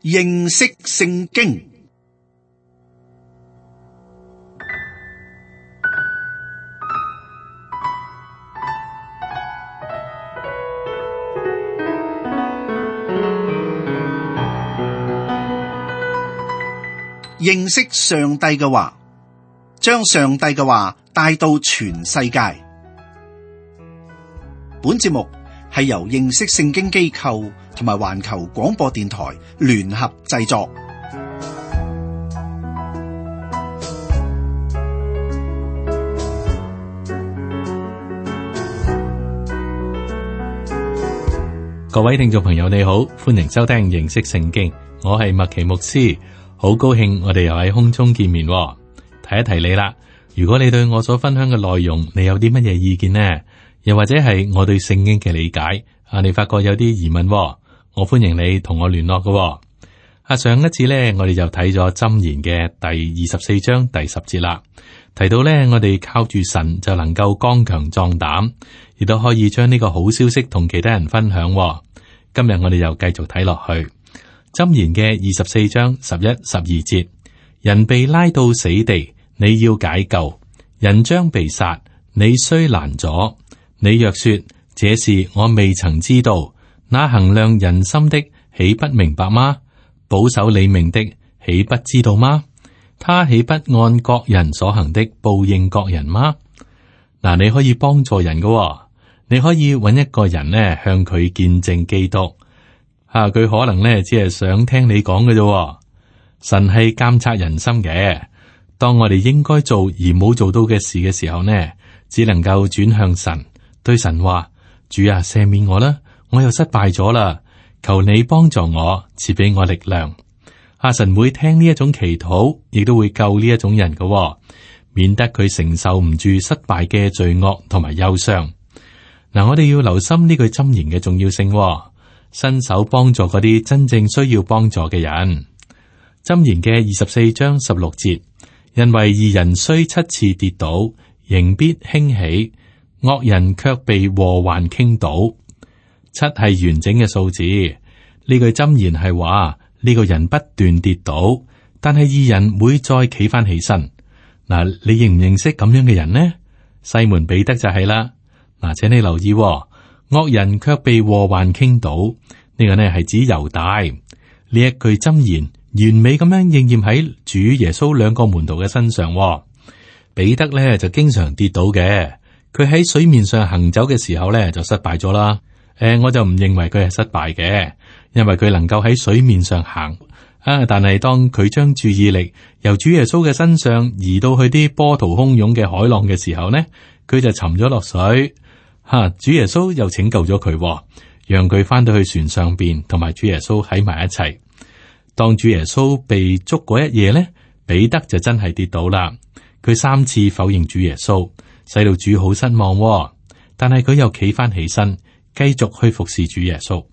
認識聖經。認識上帝嘅話，將上帝嘅話帶到全世界。本節目係由認識聖經機構同埋環球廣播電台聯合製作。各位聽眾朋友你好，歡迎收聽認識聖經，我係麥奇牧師，好高興我哋又喺空中見面。提一提你啦，如果你對我所分享嘅內容，你有啲乜嘢意見呢？又或者係我對聖經嘅理解你發覺有啲疑問，我歡迎你同我聯絡嘅。上一次呢，我哋就睇咗箴言嘅第24章第10節啦，提到呢，我哋靠住神就能夠剛強壯膽，亦都可以將呢個好消息同其他人分享。今日我哋又繼續睇落去箴言嘅24章11、12節，人被拉到死地，你要解救；人將被殺，你須攔阻。你若說這事我未曾知道，那衡量人心的豈不明白嗎？保守你命的豈不知道嗎？他豈不按各人所行的報應各人嗎？嗱，你可以幫助人嘅，你可以揾一個人呢，向佢見證基督。佢可能呢，只係想聽你講嘅啫。神係監察人心嘅，當我哋應該做而冇做到嘅事嘅時候呢，只能夠轉向神。對神話，主啊，赦免我啦，我又失敗咗啦，求你幫助我，賜俾我力量。神會聽呢一種祈禱，亦都會救呢一種人嘅，免得佢承受唔住失敗嘅罪惡同埋憂傷。嗱，我哋要留心呢句箴言嘅重要性，伸手幫助嗰啲真正需要幫助嘅人。箴言嘅24章16節，因為義人雖7次跌倒，仍必興起。惡人卻被禍患傾倒。7係完整嘅數字，呢句箴言係話呢個人不斷跌倒，但係義人會再企翻起身。嗱，你認唔認識咁樣嘅人呢？西門彼得就係啦。嗱，請你留意，惡人卻被禍患傾倒，呢個呢係指猶大。呢一句箴言完美咁樣應驗喺主耶穌兩個門徒嘅身上。彼得呢就經常跌倒嘅。佢喺水面上行走嘅時候咧，就失敗咗啦。我就唔認為佢係失敗嘅，因為佢能夠喺水面上行。但係當佢將注意力由主耶穌嘅身上移到去啲波濤洶湧嘅海浪嘅時候呢，佢就沉咗落水。主耶穌又拯救咗佢，讓佢翻到去船上邊，同埋主耶穌喺埋一齊。當主耶穌被捉嗰一夜呢，彼得就真係跌倒啦。佢3次否認主耶穌，使到主好失望，但係佢又企翻起身，繼續去服侍主耶穌。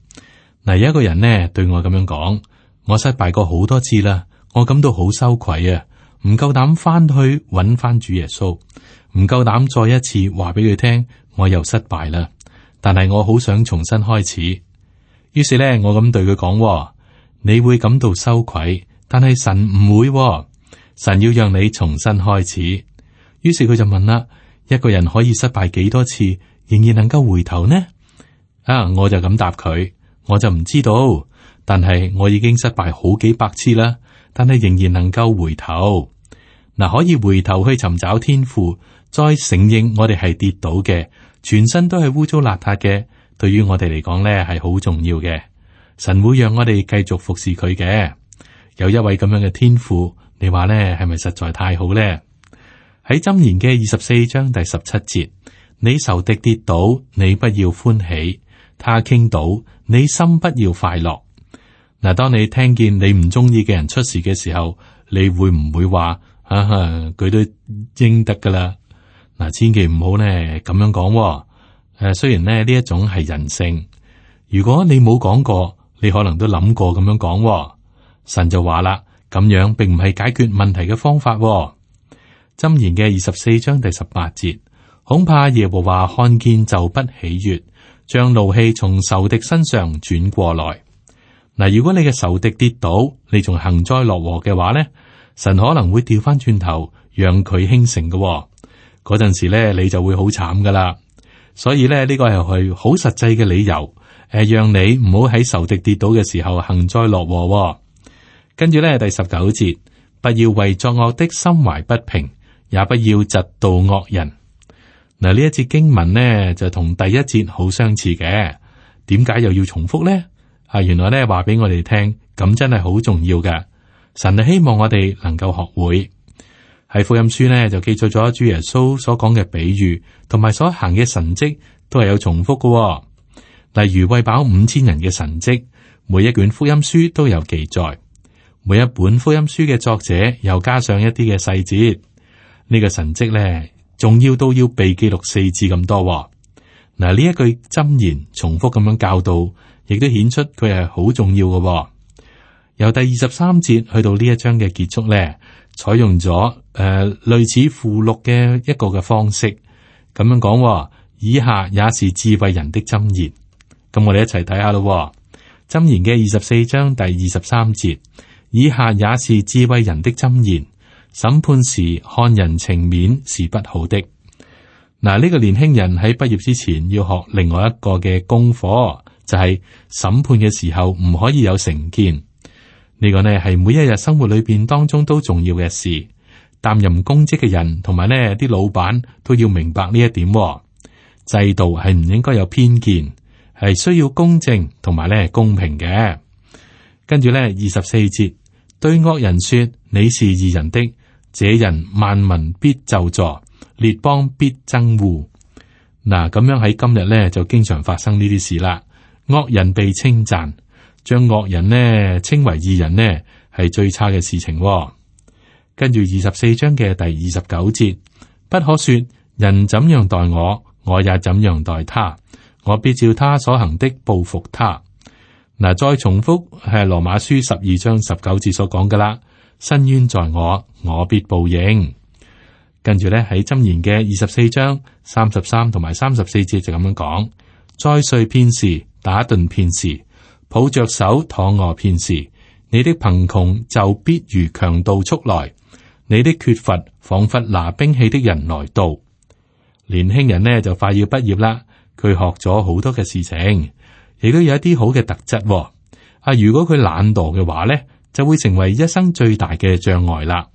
嗱，有一個人呢對我咁樣講：我失敗過好多次啦，我感到好羞愧啊，唔夠膽翻去揾翻主耶穌，唔夠膽再一次話俾佢聽我又失敗啦。但係我好想重新開始。於是呢，我咁對佢講：你會感到羞愧，但係神唔會，神要讓你重新開始。於是佢就問啦：一個人可以失敗幾多次，仍然能夠回頭呢？我就咁答佢，我就唔知道，但係我已經失敗好幾百次啦，但係仍然能夠回頭。嗱，可以回頭去尋找天父，再承認我哋係跌倒嘅，全身都係污糟邋遢嘅，對於我哋嚟講咧係好重要嘅。神會讓我哋繼續服侍佢嘅。有一位咁樣嘅天父，你話咧係咪實在太好咧？喺箴言嘅24章第17節，你仇敵跌倒，你不要歡喜；他傾倒，你心不要快樂。嗱，當你聽見你唔中意嘅人出事嘅時候，你會唔會話佢都應得噶啦？嗱，千祈唔好呢咁樣講。雖然呢一種係人性，如果你冇講過，你可能都諗過咁樣講。神就話啦，咁樣並唔係解決問題嘅方法。箴言嘅24章第18節，恐怕耶和華看見就不喜悅，將怒氣從仇敵身上轉過來。嗱，如果你嘅仇敵跌倒，你仲幸災樂禍嘅話咧，神可能會調翻轉頭，讓佢興盛嘅。嗰陣時咧，你就會好慘噶啦。所以咧，呢個係好實際嘅理由，讓你唔好喺仇敵跌倒嘅時候幸災樂禍。跟住咧，第19節，不要為作惡的心懷不平，也不要嫉妒惡人。嗱，呢一節經文呢，就同第一節好相似嘅。點解又要重複呢？原來咧話俾我哋聽，咁真係好重要㗎。神係希望我哋能夠學會。喺福音書呢，就記載咗主耶穌所講嘅比喻，同埋所行嘅神蹟都係有重複嘅。例如餵飽5000人嘅神蹟，每一卷福音書都有記載，每一本福音書嘅作者又加上一啲嘅細節。呢個神蹟咧，重要到要被記錄4次咁多。嗱，呢一句箴言重複咁樣教導，亦都顯出佢係好重要嘅。由第23節去到呢一章嘅結束咧，採用咗類似附錄嘅一個嘅方式，咁樣講。以下也是智慧人的箴言。咁我哋一齊睇下咯。箴言嘅24章第23節，以下也是智慧人的箴言。審判時看人情面是不好的。嗱，呢個年輕人喺畢業之前要學另外一個嘅功課，就係審判嘅時候唔可以有成見。呢個呢係每一日生活裏邊當中都重要嘅事。擔任公職嘅人同埋呢啲老闆都要明白呢一點。制度係唔應該有偏見，係需要公正同埋呢公平嘅。跟住呢24節，對惡人說你是義人的，這人萬民必咒詛，列邦必憎惡。嗱，咁樣喺今日呢就經常發生呢啲事啦。惡人被稱讚，將惡人呢稱為義人呢係最差嘅事情。跟住24章嘅第29節，不可說人怎樣待我，我也怎樣待他，我必照他所行的報復他。嗱，再重複係羅馬書12章19節所講噶啦，伸冤在我，我必報應。跟住咧喺箴言嘅24章33同埋34節就咁樣講，再睡片時，打盹片時，抱着手躺臥片時，你的貧窮就必如強盜速來，你的缺乏仿佛拿兵器的人來到。年輕人呢就快要畢業啦，佢學咗好多嘅事情，亦都有一啲好嘅特質。如果佢懶惰嘅話呢，就會成為一生最大嘅障礙啦。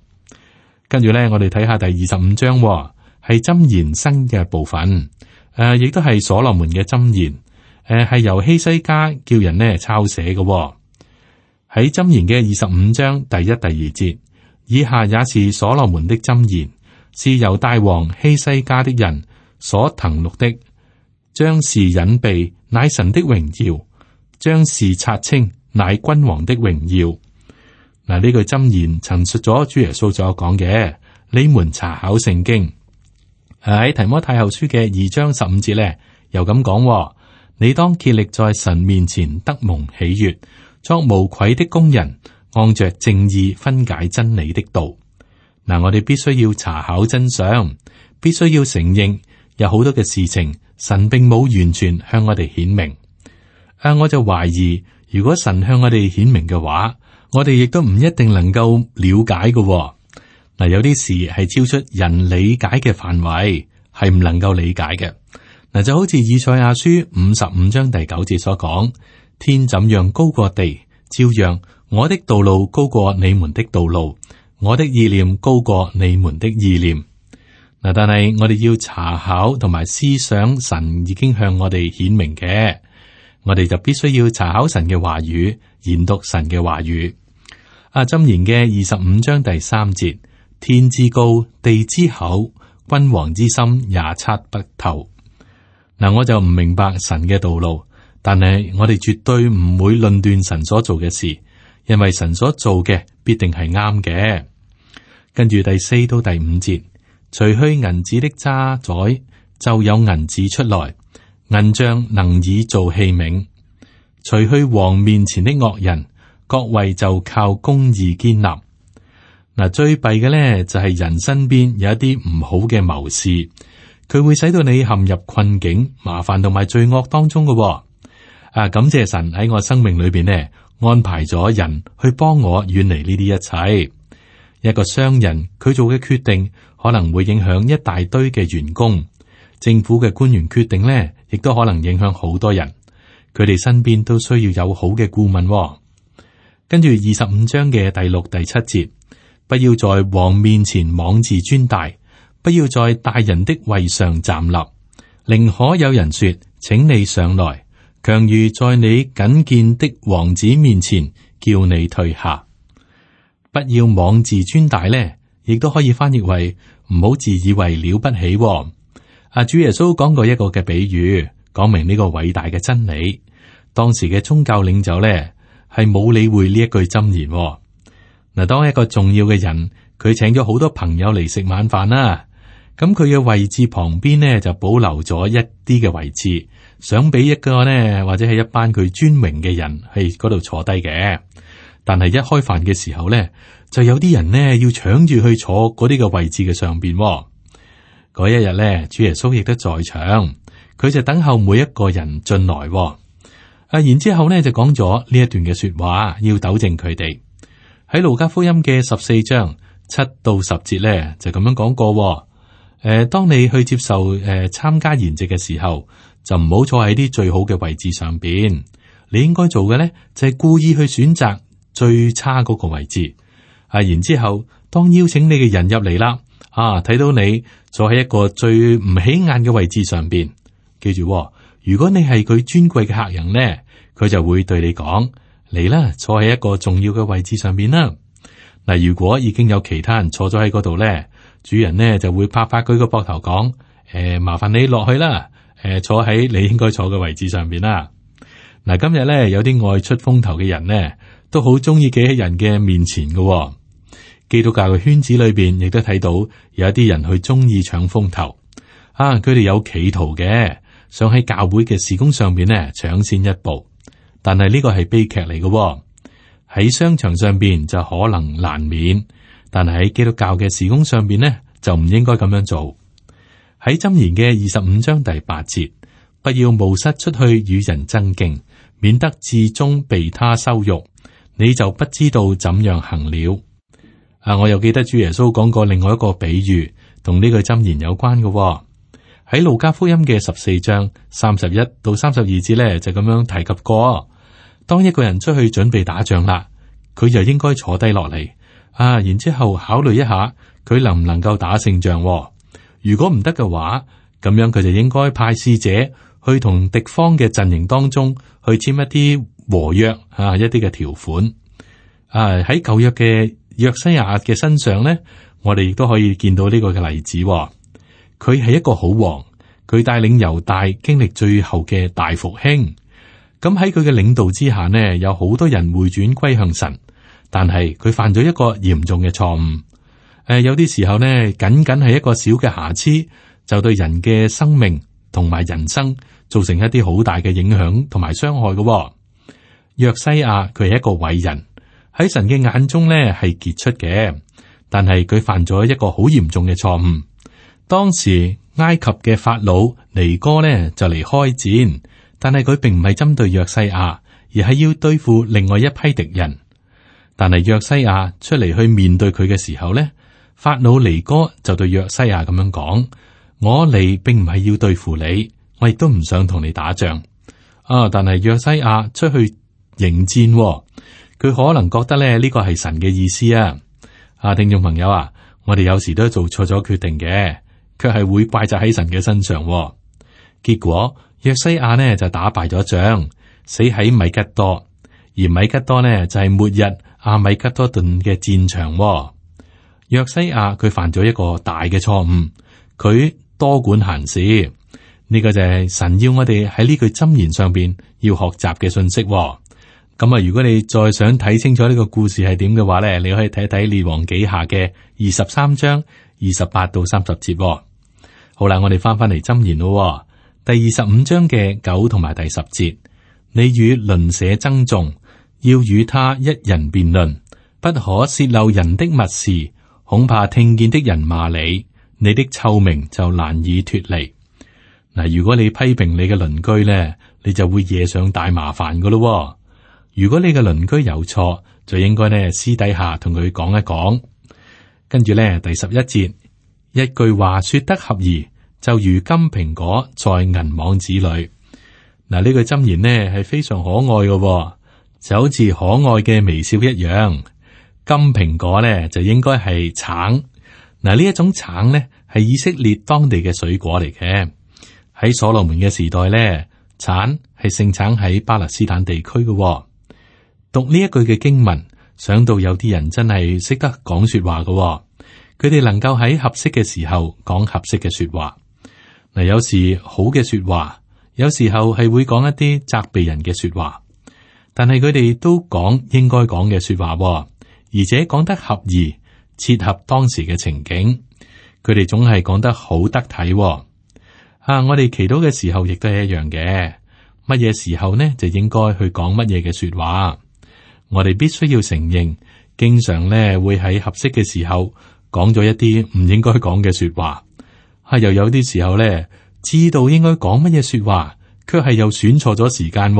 跟住呢，我哋睇下第25章，係箴言新嘅部分，亦都係所羅門嘅箴言，係由希西家叫人呢抄寫嘅。喺箴言嘅25章第1、第2節，以下也是所羅門的箴言，是猶大王希西家的人所謄錄的。將事隱秘，乃神的榮耀；將事察清，乃君王的榮耀。嗱，呢句箴言陳述咗主耶穌所講嘅，你們查考聖經。喺提摩太後書嘅2章15節咧，又咁講：你當竭力在神面前得蒙喜悅，作無愧的工人，按着正義分解真理的道。嗱，我哋必須要查考真相，必須要承認有好多嘅事情，神並冇完全向我哋顯明。我就懷疑，如果神向我哋顯明嘅話，我哋亦都唔一定能夠了解嘅。嗱，有啲事係超出人理解嘅範圍，係唔能夠理解嘅。嗱，就好似以賽亞書55章第9節所講：天怎樣高過地，照樣我的道路高過你們的道路，我的意念高過你們的意念。嗱，但係我哋要查考同埋思想神已經向我哋顯明嘅，我哋就必須要查考神嘅話語，研讀神嘅話語。箴言嘅25章第3節：天之高，地之厚，君王之心也測不透。嗱，我就唔明白神嘅道路，但係我哋絕對唔會論斷神所做嘅事，因為神所做嘅必定係啱嘅。跟住第4到第5節，除去銀子的渣滓，就有銀子出來；銀匠能以做器皿。除去王面前的惡人，國位就靠公義堅立。嗱，最弊嘅咧就係人身邊有一啲唔好嘅謀士，佢會使到你陷入困境、麻煩同埋罪惡當中嘅。感謝神喺我生命裏邊呢，安排咗人去幫我遠離呢啲一切。一個商人佢做嘅決定可能會影響一大堆嘅員工，政府嘅官員決定呢，亦都可能影響好多人。佢哋身邊都需要有好嘅顧問。跟住25章嘅第6、第7節，不要在王面前妄自尊大，不要在大人的位上站立，寧可有人說，請你上來，強如在你僅見的王子面前叫你退下。不要妄自尊大呢，亦都可以翻譯為唔好自以為了不起。主耶穌講過一個嘅比喻，講明呢個偉大嘅真理。當時嘅宗教領袖呢，係冇理會呢一句箴言。嗱，當一個重要嘅人，佢請咗好多朋友嚟食晚飯啦，咁佢嘅位置旁邊呢，就保留咗一啲嘅位置，想俾一個呢，或者係一班佢尊榮嘅人喺嗰度坐低嘅。但係一開飯嘅時候呢，就有啲人呢要搶住去坐嗰啲嘅位置嘅上邊。嗰一日呢，主耶穌亦都在場，佢就等候每一個人進來。然之後呢就講咗呢一段嘅說話，要糾正佢哋。喺路加福音嘅14章7到10節呢，就咁樣講過。當你去接受參加筵席嘅時候，就唔好坐喺啲最好嘅位置上邊。你應該做嘅呢，就係故意去選擇最差嗰個位置。然之後當邀請你嘅人入嚟啦，睇到你坐喺一個最唔起眼嘅位置上邊，記住，如果你係佢尊貴嘅客人呢，佢就會對你講，嚟啦，坐喺一個重要嘅位置上邊啦。嗱，如果已經有其他人坐咗喺嗰度呢，主人呢就會拍拍佢個膊頭講，麻煩你落去啦，坐喺你應該坐嘅位置上邊啦。嗱，今日呢，有啲愛出風頭嘅人呢，都好中意企喺人嘅面前嘅。基督教嘅圈子裏邊亦都睇到有一啲人去中意搶風頭，佢哋有企圖嘅，想喺教會嘅事工上邊呢搶先一步。但係呢個係悲劇嚟嘅，喺商場上邊就可能難免，但係喺基督教嘅事工上邊呢，就唔應該咁樣做。喺箴言嘅25章第8節，不要冒失出去與人爭競，免得至終被他羞辱，你就不知道怎樣行了。我又記得主耶穌講過另外一個比喻，同呢句箴言有關嘅。喺路加福音嘅14章31到32節呢，就咁樣提及過。當一個人出去準備打仗啦，佢就應該坐低落嚟，然之後考慮一下佢能唔能夠打勝仗。如果唔得嘅話，咁樣佢就應該派使者去同敵方嘅陣營當中去簽一啲和約，一啲嘅條款。喺舊約嘅約西亞嘅身上呢，我哋亦都可以見到呢個嘅例子。佢係一個好王，佢帶領猶大經歷最後嘅大復興。咁喺佢嘅領導之下呢，有好多人回轉歸向神，但係佢犯咗一個嚴重嘅錯誤。有啲時候呢，僅僅係一個小嘅瑕疵，就對人嘅生命同埋人生造成一啲好大嘅影響同埋傷害嘅。約西亞佢係一個偉人，喺神嘅眼中呢係傑出嘅，但係佢犯咗一個好嚴重嘅錯誤。當時埃及嘅法老尼哥呢就嚟開戰。但係佢並唔係針對約西亞，而係要對付另外一批敵人。但係約西亞出嚟去面對佢嘅時候呢，法老尼哥就對約西亞咁樣講：我嚟並唔係要對付你，我亦都唔想同你打仗。但係約西亞出去迎戰，佢可能覺得咧呢個係神嘅意思啊。聽眾朋友啊，我哋有時都做錯咗決定嘅，卻係會怪責喺神嘅身上。結果約西亞呢就打敗咗仗，死喺米吉多，而米吉多呢就係末日阿米吉多頓嘅戰場。約西亞佢犯咗一個大嘅錯誤，佢多管閒事。呢個就係神要我哋喺呢句箴言上邊要學習嘅信息。咁如果你再想睇清楚呢個故事係點嘅話呢，你可以睇睇列王紀下嘅23章28到30節。好啦，我哋翻嚟箴言咯。第25章嘅9同埋第10節，你與鄰舍爭訟，要與他一人辯論，不可泄漏人的密事，恐怕聽見的人罵你，你的臭名就難以脫離。嗱，如果你批評你嘅鄰居呢，你就會惹上大麻煩噶咯。如果你嘅鄰居有錯，就應該呢私底下同佢講一講。跟住呢，第11節，一句話說得合宜，就如金蘋果在銀網子裏。嗱，呢句箴言呢係非常可愛嘅，就好似可愛嘅微笑一樣。金蘋果呢就應該係橙。嗱，呢一種橙呢係以色列當地嘅水果嚟嘅。喺所羅門嘅時代呢，橙係盛產喺巴勒斯坦地區嘅。讀呢一句嘅經文，想到有啲人真係識得講說話嘅，佢哋能夠喺合適嘅時候講合適嘅說話。嗱，有時好嘅說話，有時候係會講一啲責備人嘅說話，但係佢哋都講應該講嘅說話，而且講得合宜，切合當時嘅情景。佢哋總係講得好得體。我哋祈禱嘅時候亦都係一樣嘅，乜嘢時候呢就應該去講乜嘢嘅說話。我哋必須要承認，經常咧會喺合適嘅時候講咗一啲唔應該講嘅說話。又有啲時候咧，知道應該講乜嘢說話，卻係又選錯咗時間。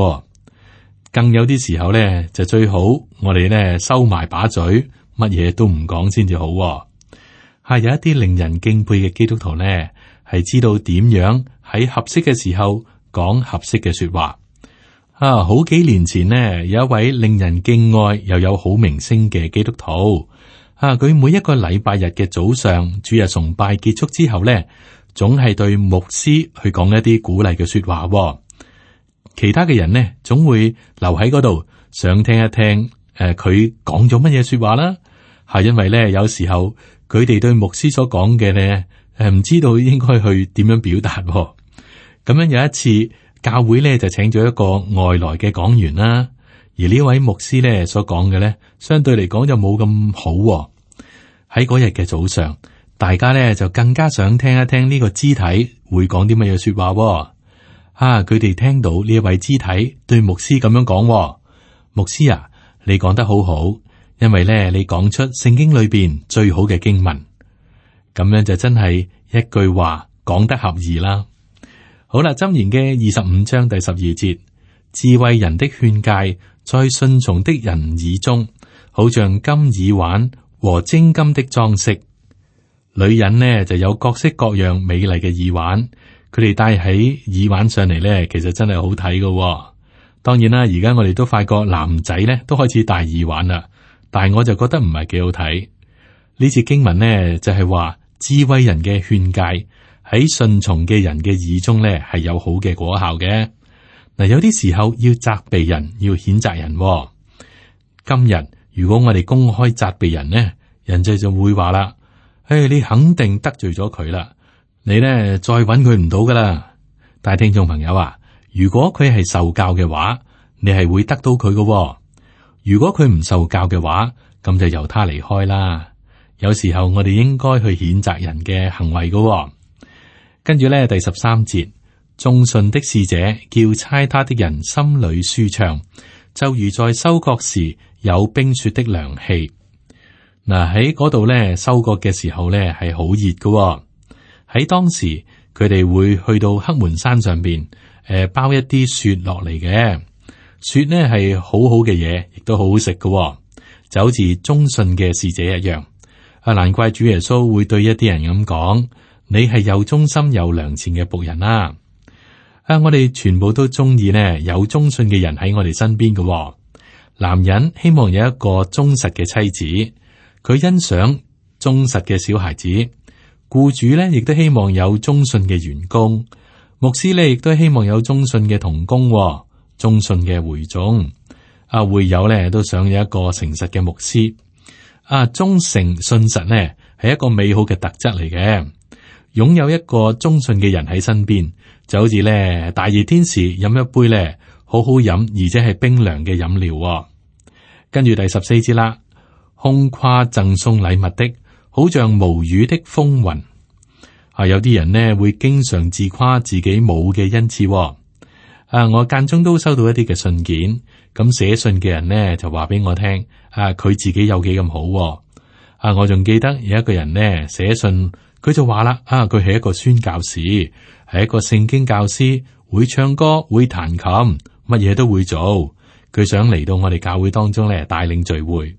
更有啲時候咧，就最好我哋咧收埋把嘴，乜嘢都唔講先至好。有一啲令人敬佩嘅基督徒咧，係知道點樣喺合適嘅時候講合適嘅說話。好幾年前呢，有一位令人敬愛又有好名聲嘅基督徒。佢每一個禮拜日嘅早上，主日崇拜結束之後呢，總係對牧師去講一啲鼓勵嘅說話。其他嘅人呢，總會留喺嗰度，想聽一聽佢講咗乜嘢說話啦。因為呢，有時候佢哋對牧師所講嘅呢，唔知道應該去點樣表達。咁樣有一次，教會咧就請咗一個外來嘅講員啦，而呢位牧師咧所講嘅咧，相對嚟講就冇咁好。喺嗰日嘅早上，大家咧就更加想聽一聽呢個肢體會講啲乜嘢說話。佢哋聽到呢一位肢體對牧師咁樣講：牧師啊，你講得好好，因為咧你講出聖經裏邊最好嘅經文，咁樣就真係一句話講得合宜啦。好啦，箴言嘅25章第12節，智慧人的勸誡在順從的人耳中，好像金耳環和精金的裝飾。女人呢就有各式各樣美麗嘅耳環，佢哋戴喺耳環上嚟呢，其實真係好睇㗎。當然啦，而家我哋都發覺男仔呢都開始戴耳環啦，但係我就覺得唔係幾好睇。呢節經文呢就係話智慧人嘅勸誡喺順從嘅人嘅耳中咧，係有好嘅果效嘅。嗱，有啲時候要責備人，要譴責人。今日如果我哋公開責備人呢，人哋就會話啦：你肯定得罪咗佢啦，你呢再搵佢唔到噶啦。但係聽眾朋友啊，如果佢係受教嘅話，你係會得到佢嘅。如果佢唔受教嘅話，咁就由他離開啦。有時候我哋應該去譴責人嘅行為嘅。跟住咧，第13節，忠信的使者叫差他的人心裏舒暢，就如在收割時有冰雪的涼氣。嗱，喺嗰度咧，收割嘅時候咧係好熱嘅。喺當時，佢哋會去到黑門山上邊，包一啲雪落嚟嘅。雪呢係好好嘅嘢，亦都好好食嘅，就好似忠信嘅使者一樣。難怪主耶穌會對一啲人咁講。你係有忠心有良善嘅僕人啦。我哋全部都中意呢有忠信嘅人喺我哋身邊嘅。男人希望有一個忠實嘅妻子，佢欣賞忠實嘅小孩子。僱主呢亦都希望有忠信嘅員工，牧師呢亦都希望有忠信嘅同工，忠信嘅會眾。會友呢都想有一個誠實嘅牧師。忠誠信實呢係一個美好嘅特質嚟嘅。擁有一個忠信嘅人喺身邊，就好似咧大熱天時飲一杯咧好好飲而且係冰涼嘅飲料。跟住第14節啦，空誇贈送禮物的，好像無雨的風雲。有啲人呢會經常自誇自己冇嘅恩賜。我間中都收到一啲嘅信件，咁寫信嘅人呢就話俾我聽，佢自己有幾咁好。我仲記得有一個人呢寫信。佢就話啦，佢係一個宣教士，係一個聖經教師，會唱歌，會彈琴，乜嘢都會做。佢想嚟到我哋教會當中咧帶領聚會。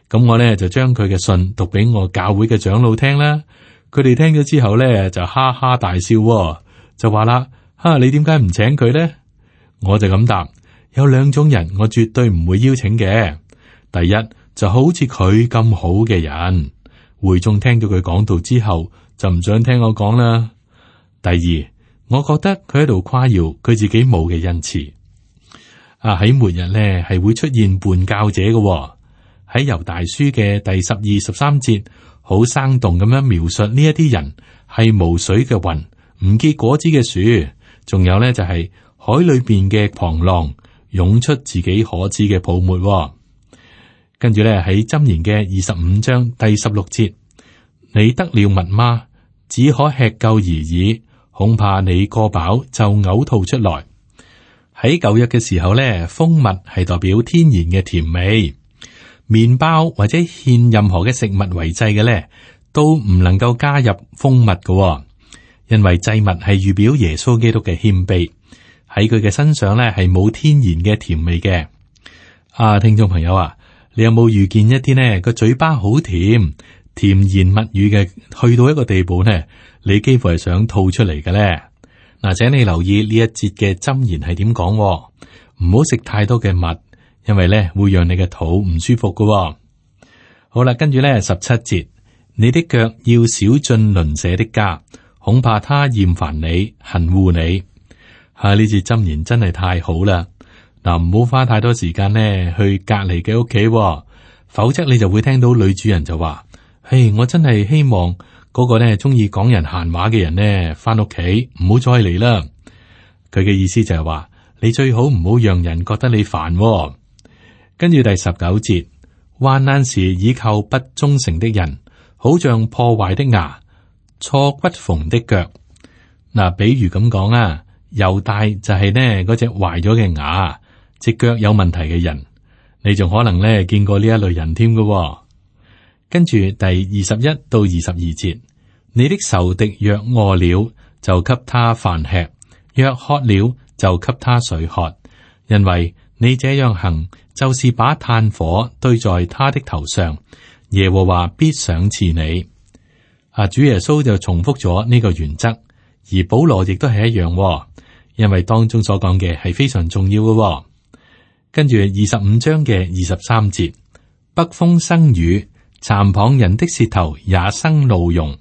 咁我咧就將佢嘅信讀俾我教會嘅長老聽啦。佢哋聽咗之後咧就哈哈大笑，就話啦：你點解唔請佢呢？我就咁答：有兩種人我絕對唔會邀請嘅。第一就好似佢咁好嘅人，會眾聽到佢講道之後就唔想聽我講啦。第二，我覺得佢喺度誇耀佢自己冇嘅恩賜。喺末日咧係會出現叛教者嘅。喺猶大書嘅第12、13節，好生動咁樣描述呢一啲人係無水嘅雲，唔結果子嘅樹，仲有咧就係海裏邊嘅狂浪湧出自己可知嘅泡沫。跟住咧喺箴言嘅25章第16節，你得了蜜嗎？只可吃夠而已，恐怕你過飽就嘔吐出來。喺舊約嘅時候咧，蜂蜜係代表天然嘅甜味。麵包或者獻任何嘅食物為祭嘅咧，都唔能夠加入蜂蜜嘅，因為祭物係預表耶穌基督嘅謙卑，喺佢嘅身上咧係冇天然嘅甜味嘅。聽眾朋友啊，你有冇遇見一啲呢個嘴巴好甜，甜言蜜語嘅，去到一個地步呢，你幾乎係想吐出嚟嘅咧？請你留意呢一節嘅箴言係點講，唔好食太多嘅蜜。因為咧會讓你嘅肚唔舒服嘅。好啦，跟住咧17節，你的腳要少進鄰舍的家，恐怕他厭煩你，恨惡你。呢節箴言真係太好啦。唔好花太多時間呢去隔籬嘅屋企，否則你就會聽到女主人就話：嘿，我真係希望嗰個呢中意講人閒話嘅人呢翻屋企唔好再嚟啦。佢嘅意思就係話，你最好唔好讓人覺得你煩。跟住第19節，患難時倚靠不忠誠的人，好像破壞的牙、錯骨縫的腳。比如咁講啊，猶大就係呢嗰隻壞咗嘅牙、隻腳有問題嘅人，你仲可能呢見過呢一類人添㗎。跟住第21到22節，你的仇敵若餓了，就給他飯吃；若渴了，就給他水喝，因為你這樣行，就是把炭火堆在他的頭上，耶和華必賞賜你。主耶穌就重複咗呢個原則，而保羅亦都係一樣，因為當中所講嘅係非常重要嘅。跟住25章嘅23節，北風生雨，讒謗人的舌頭也生怒容。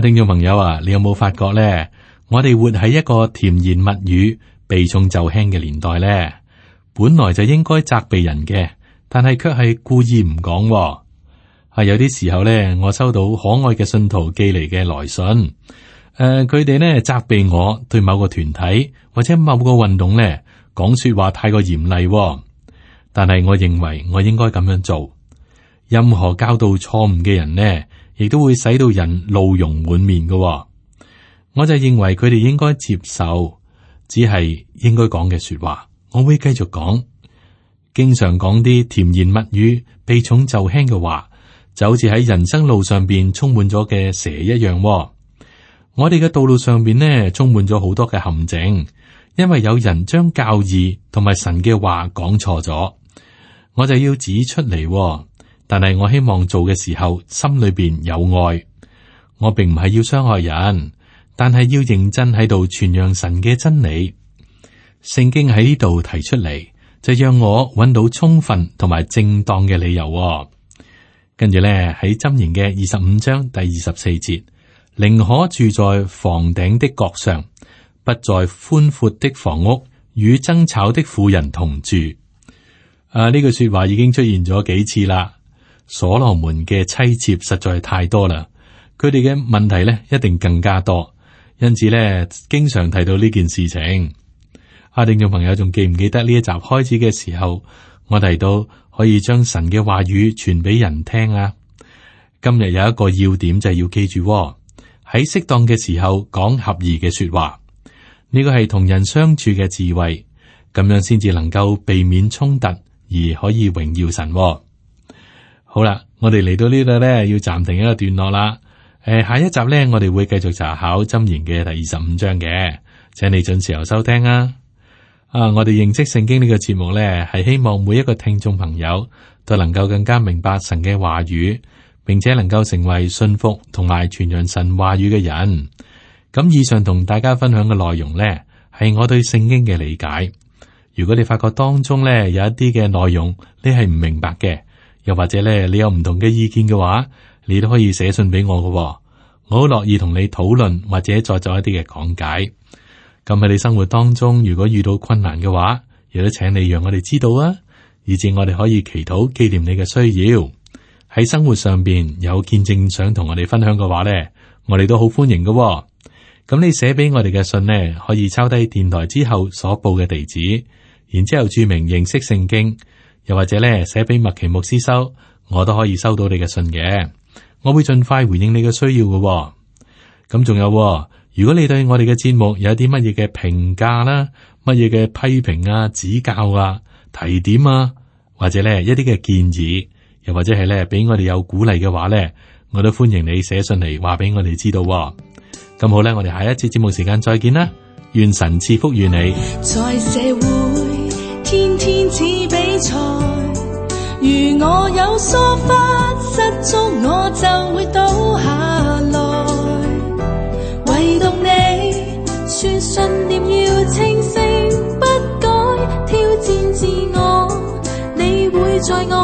聽眾朋友啊，你有冇發覺呢？我哋活喺一個甜言蜜語、避重就輕嘅年代呢。本來就應該責備人嘅，但係卻係故意唔講。有啲時候咧，我收到可愛嘅信徒寄嚟嘅來信，佢哋咧責備我對某個團體或者某個運動咧講說話太過嚴厲，但係我認為我應該咁樣做。任何教導錯誤嘅人呢，亦都會使到人怒容滿面嘅。我就認為佢哋應該接受，只係應該講嘅說話。我會繼續講，經常講啲甜言蜜語、避重就輕嘅話，就好似喺人生路上邊充滿咗嘅蛇一樣。我哋嘅道路上邊呢，充滿咗好多嘅陷阱，因為有人將教義同埋神嘅話講錯咗，我就要指出嚟。但係我希望做嘅時候，心裏邊有愛。我並唔係要傷害人，但係要認真喺度傳揚神嘅真理。聖經喺呢度提出嚟，就讓我揾到充分同埋正當嘅理由。跟住咧喺箴言嘅25章第24節，寧可住在房頂的角上，不在寬闊的房屋與爭吵的婦人同住。呢句說話已經出現咗幾次啦。所羅門嘅妻妾實在係太多啦，佢哋嘅問題咧一定更加多，因此咧經常提到呢件事情。聽眾朋友仲記唔記得呢一集開始嘅時候，我提到可以將神嘅話語傳俾人聽啊？今日有一個要點就係要記住，喺適當嘅時候講合宜嘅說話，呢個係同人相處嘅智慧，咁樣先至能夠避免衝突，而可以榮耀神。好啦，我哋嚟到呢度咧，要暫停一個段落啦。下一集咧，我哋會繼續查考箴言嘅第25章嘅，請你準時收聽啊。我哋認識聖經呢個節目呢，係希望每一個聽眾朋友都能夠更加明白神嘅話語，並且能夠成為信服同埋傳揚神話語嘅人。咁以上同大家分享嘅內容呢，係我對聖經嘅理解。如果你發覺當中呢有一啲嘅內容你係唔明白嘅，又或者呢你有唔同嘅意見嘅話，你都可以寫信俾我嘅，我好樂意同你討論或者再做一啲嘅講解。咁喺你生活當中，如果遇到困難嘅話，亦都請你讓我哋知道啊，以至我哋可以祈禱紀念你嘅需要。喺生活上邊有見證想同我哋分享嘅話呢，我哋都好歡迎嘅。咁你寫俾我哋嘅信呢，可以抄低電台之後所報嘅地址，然之後注明認識聖經，又或者咧寫俾麥奇牧師收，我都可以收到你嘅信嘅。我會盡快回應你嘅需要嘅。咁仲有，如果你對我哋嘅節目有啲乜嘢嘅評價啦，乜嘢嘅批評啊、指教啊、提點啊，或者咧一啲嘅建議，又或者係咧俾我哋有鼓勵嘅話咧，我都歡迎你寫信嚟話俾我哋知道。咁好咧，我哋下一次節目時間再見啦，願神賜福與你。在社會天天似比賽，如我有疏忽失足，我就會倒下來。唯獨你說信念要清醒不改，挑戰自我，你會在我